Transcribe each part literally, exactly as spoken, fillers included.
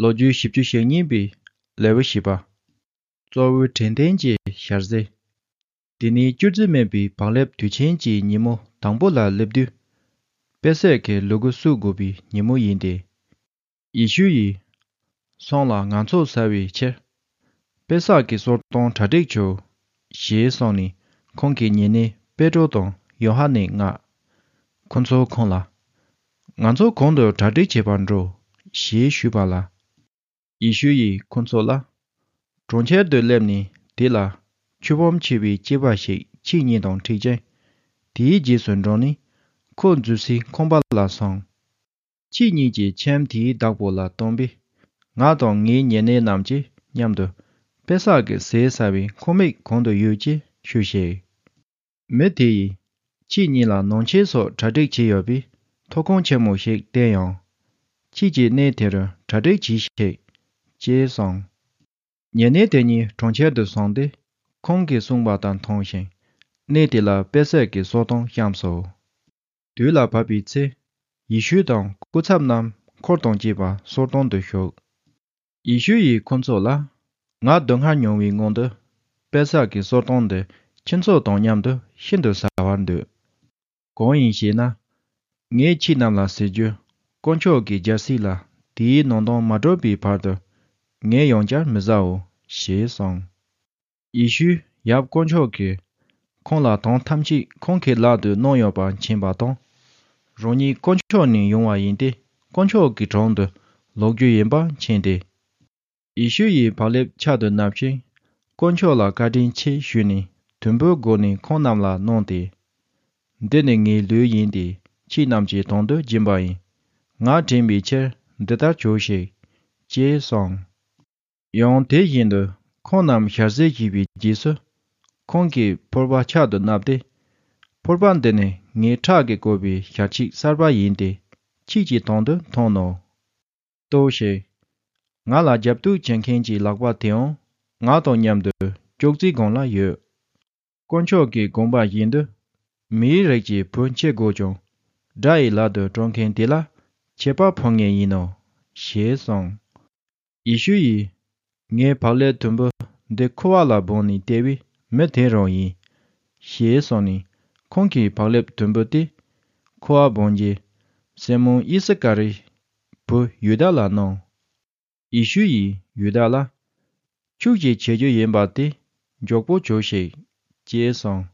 ལོ་རྒྱུས་བཞི་བཅུ་ཞེ་གཉིས་པའི་ལེའུ་བཞི་པ། གཙོ་བོའི་དྲན་རྟེན་གྱི་ཞལ་ཟས། དེ་ནས་སྐྱུར་རྩི་མེད་པའི་བག་ལེབ་དུས་ཆེན་གྱི་ཉིན་མོ་དང་པོ་ལ་སླེབས་དུས། པེ་སག་གི་ལུ་གུ་གསོད་དགོས་པའི་ཉིན་མོ་ཡིན་ཏེ། ཡེ་ཤུ་ཡིས། སོང་ལ་ང་ཚོགས་བཟའ་བའི་ཕྱིར། པེ་སག་གི་གསོལ་སྟོན་གྲ་སྒྲིག་བྱོས། ཞེས་གསུངས་ནས་ཁོང་གི་ཉེ་གནས་པེ་ཏྲོ་དང་ཡོ་ཧ་ནན་མངགས། ཁོ་ཚོས་ཁོང་ལ། ང་ཚོ་གང་དུ་གྲ་སྒྲིག་བྱེད་པར་འགྲོ། ཞེས་ཞུས་པ་ལ། ཡེ་ཤུ་ཡིས་ཁོ་ཚོ་ལ། གྲོང་ཁྱེར་དུ་སླེབས་ནས་དེ་ལ་ཆུ་བུམ་ཆེ་བའི་སྐྱེས་པ་ཞིག་ཁྱེད་གཉིས་དང་འཕྲད་ཅིང་། དེའི་རྗེས་སུ་འབྲངས་ནས་ཁོ་འཛུལ་སའི་ཁང་པ་ལ་སོང་། ཁྱེད་གཉིས་ཀྱིས་ཁྱིམ་དེའི་བདག་པོ་ལ་སྟོན་པས། ང་དང་ངའི་ཉེ་གནས་རྣམས་ཀྱིས་མཉམ་དུ་པེ་སག་གི་ཟས་ཟ་བའི་ཁང་མིག་གང་དུ་ཡོད་ཅེས་ཞུས་ཤིག། མི་དེ་ཡིས་ཁྱེད་གཉིས་ལ་ནང་ཆས་སོགས་གྲ་སྒྲིག་བྱས་ཡོད་པས་ཐོབ་ཁུངས་ཆེན་མོ་ཞིག་བསྟན་ཡང་། ཁྱེད་ཀྱིས་གནས་དེ་རུ་གྲ་སྒྲིག་གྱིས་ཤིག། ཅེས་གསུངས། ཉེ་གནས་དེ་གཉིས་གྲོང་ཁྱེར་དུ་སོང་སྟེ་ཁོང་གིས་གསུངས་པ་དང་མཐུན་ཞིང་། གནས་དེ་ལ་པེ་སག་གི་གསོལ་སྟོན་བཤམས་སོ། དུས་ལ་བབ་པའི་ཚེ། ཡེ་ཤུ་དང་སྐུ་ཚབ་རྣམས་འཁོར་དང་བཅས་པ་གསོལ་སྟོན་དུ་ཞུགས། ཡེ་ཤུ་ཡིས་ཁོ་ཚོ་ལ། ང་སྡུག་བསྔལ་མྱོང་བའི་སྔོན་དུ། པེ་སག་གི་གསོལ་སྟོན་འདི་ཁྱེད་ཚོ་དང་མཉམ་དུ་ཤིན་ཏུ་ཟ་བར་འདོད། གང་ཡིན་ཞེ་ན། ངས་ཁྱེད་རྣམས་ལ་ཟེར་རྒྱུ། དཀོན་མཆོག་གི་རྒྱལ་སྲིད་ལ་དེའི་ནང་དོན་མ་གྲུབ་པའི་བར་དུ། ངས་ཡང་བསྐྱར་མི་ཟའོ། ཞེས་གསུངས། ཡེ་ཤུས་ཡབ་དཀོན་མཆོག་གིས་ཁོང་ལ་དོན་ཐམས་ཅད་ཁོང་གི་ལག་ཏུ་གནང་ཡོད་པ་མཁྱེན་པ་དང་། རང་ཉིད་དཀོན་མཆོག་ནས་ཡོང་བ་ཡིན་ཏེ། དཀོན་མཆོག་གི་དྲུང་དུ་ལོག་རྒྱུ་ཡིན་པ་མཁྱེན་ཏེ། ཡེ་ཤུ་ཡིས་བག་ལེབ་ཕྱག་ཏུ་བསྣམས་ཤིང་། དཀོན་མཆོག་ལ་བཀའ་དྲིན་ཆེ་ཞུས་ནས་དུམ་བུའི་སྒོ་ནས་ཁོང་རྣམས་ལ་གནང་སྟེ། འདི་ནི་ངའི་ལུས་ཡིན་ཏེ། ཁྱེད་རྣམས་ཀྱི་དོན་དུ་སྦྱིན་པ་ཡིན། ང་དྲན་པའི་ཕྱིར་འདི་ལྟར་བྱོས་ཤིག། ཅེས་གསུངས། ཡང་དེ་བཞིན་དུ་ཁོང་རྣམས་ཞལ་ཟས་བཞེས་པའི་རྗེས་སུ། ཁོང་གིས་ཕོར་པ་ཕྱག་ཏུ་བསྣམས་ཏེ། ཕོར་པ་འདི་ནི་ངའི་ཁྲག་གིས་བཀོད་པའི་ཞལ་ཆིག་གསར་པ་ཡིན་ཏེ། ཁྱེད་ཀྱི་དོན་དུ་འཐུང་ངོ་། ལྟོས་ཤིག། ང་ལ་རྒྱབ་གཏུག་བྱེད་མཁན་གྱི་ལག་པ་དེའང་ང་དང་མཉམ་དུ་ཅོག་ཙེའི་སྒང་ལ་ཡོད། དཀོན་མཆོག་གི་དགོངས་པ་བཞིན་དུ། མིའི་རིགས་ཀྱི་བུ་འཆི་དགོས་ཀྱང་། དགྲ་ཡི་ལག་ཏུ་སྤྲོད་མཁན་དེ་ལ་ཆད་པ་ཕོག་ངེས་ཡིན་ནོ། ཞེས་གསུངས། ཡེ་ཤུ་ཡིས། ངའི་བག་ལེབ་དུམ་བུ་འདི་འཁོར་བ་ལ་སྦངས་ནས་སྟེར་བའི་མི་དེ་རང་ཡིན། ཞེས་གསུངས་ནས་ཁོང་གིས་བག་ལེབ་དུམ་བུ་དེ་འཁོར་བ་སྦངས་རྗེས། སི་མོན་ཨི་སི་ཀ་རིའི་བུ་ཡུ་དཱ་ལ་གནང་། ཡེ་ཤུ་ཡིས་ཡུ་དཱ་ལ། ཁྱོད་ཀྱིས་བྱེད་རྒྱུ་ཡིན་པ་དེ་མགྱོགས་པོ་བྱོས་ཤིག། ཅེས་གསུངས།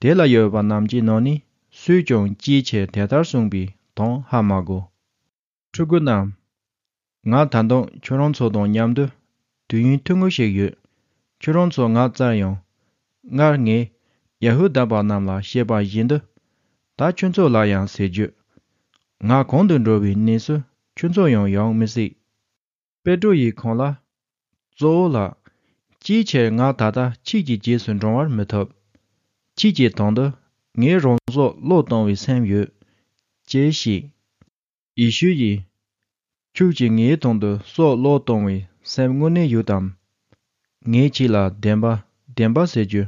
དེ་ལ་ཡོད་པ་རྣམས་ཀྱི་ནང་ནས་སུས་ཀྱང་ཅིའི་ཕྱིར་དེ་ལྟར་གསུངས་པའི་དོན་ཧ་མ་གོ། ཕྲུ་གུ་རྣམས། ང་ད་དུང་ཁྱོད་རང་ཚོ་དང་མཉམ་དུ་དུས་ཡུན་ཐུང་ངུ་ཞིག་ཡོད། ཁྱོད་རང་ཚོ་ང་བཙལ་ཡང་། སྔར་ངས་ཡ་ཧུ་དཱ་པ་རྣམས་ལ་བཤད་པ་བཞིན་དུ། ད་ཁྱོད་ཚོ་ལ་ཡང་ཟེར་རྒྱུ། ང་གང་དུ་འགྲོ་བའི་གནས་སུ་ཁྱོད་ཚོ་ཡང་ཡོང་མི་སྲིད། པེ་ཏྲོ་ཡིས་ཁོང་ལ། གཙོ་བོ་ལགས། ཅིའི་ཕྱིར་ང་ད་ལྟ་ཁྱེད་ཀྱི་རྗེས་སུ་འབྲང་བར་མི་ཐུབ། ཁྱེད་ཀྱི་དོན་དུ་ངས་རང་སྲོག་བློས་གཏོང་བའི་སེམས་ཡོད། ཅེས་བཤད། ཡེ་ཤུ་ཡིས། ཁྱོད་ཀྱིས་ངའི་དོན་དུ་སྲོག་བློས་གཏོང་བའི་སེམས་དངོས་གནས་ཡོད་དམ། ངས་ཁྱེད་ལ་བདེན་པ་བདེན་པ་ཟེར་རྒྱུ།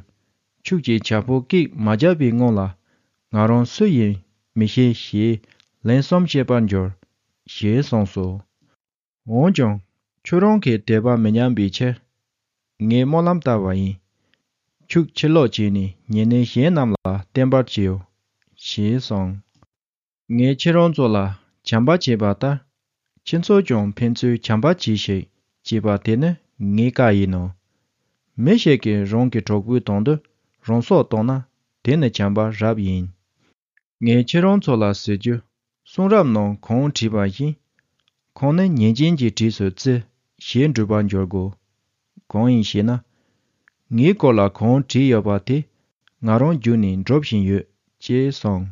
ཁྱོད་ཀྱིས་བྱ་ཕོ་སྐད་མ་བརྒྱབ་པའི་སྔོན་ལ་ང་རང་སུ་ཡིན་མི་ཤེས་ཞེས་ལན་གསུམ་བཤད་པར་འགྱུར། ཞེས་གསུངས་སོ། འོན་ཀྱང་ཁྱོད་རང་གིས་དད་པ་མི་ཉམས་པའི་ཕྱིར། ངས་སྨོན་ལམ་བཏབ་པ་ཡིན། ཁྱོད་ཕྱིར་ལོག་བྱས་ནས་ཉེ་གནས་གཞན་རྣམས་ལ་བསྟན་པར་བྱའོ། ཞེས་གསུངས། ངས་ཁྱེད་རང་ཚོ་ལ་བྱམས་པ་བྱས་པ་ལྟར། ཁྱེད་ཚོས་ཀྱང་ཕན་ཚུན་བྱམས་པ་གྱིས་ཤིག། ཅེས་པ་དེ་ནི་ངའི་བཀའ་ཡིན་ནོ། མི་ཞིག་གིས་རང་གི་གྲོགས་པོའི་དོན་དུ་རང་སྲོག་གཏོང་ན་དེ་ནི་བྱམས་པ་རབ་ཡིན། ངས་ཁྱེད་རང་ཚོ་ལ་ཟེར་རྒྱུ། གསུང་རབ་ནང་གང་བྲིས་པ་བཞིན། ཁོང་ནི་ཉེས་ཅན་གྱི་གྲས་སུ་བརྩི་ཞེས་འགྲུབ་པར་འགྱུར་དགོས། གང་ཡིན་ཞེ་ན། ངའི་སྐོར་ལ་གང་བྲིས་ཡོད་པ་དེ་ང་རང་བརྒྱུད་ནས་འགྲུབ་བཞིན་ཡོད། ཅེས་གསུངས།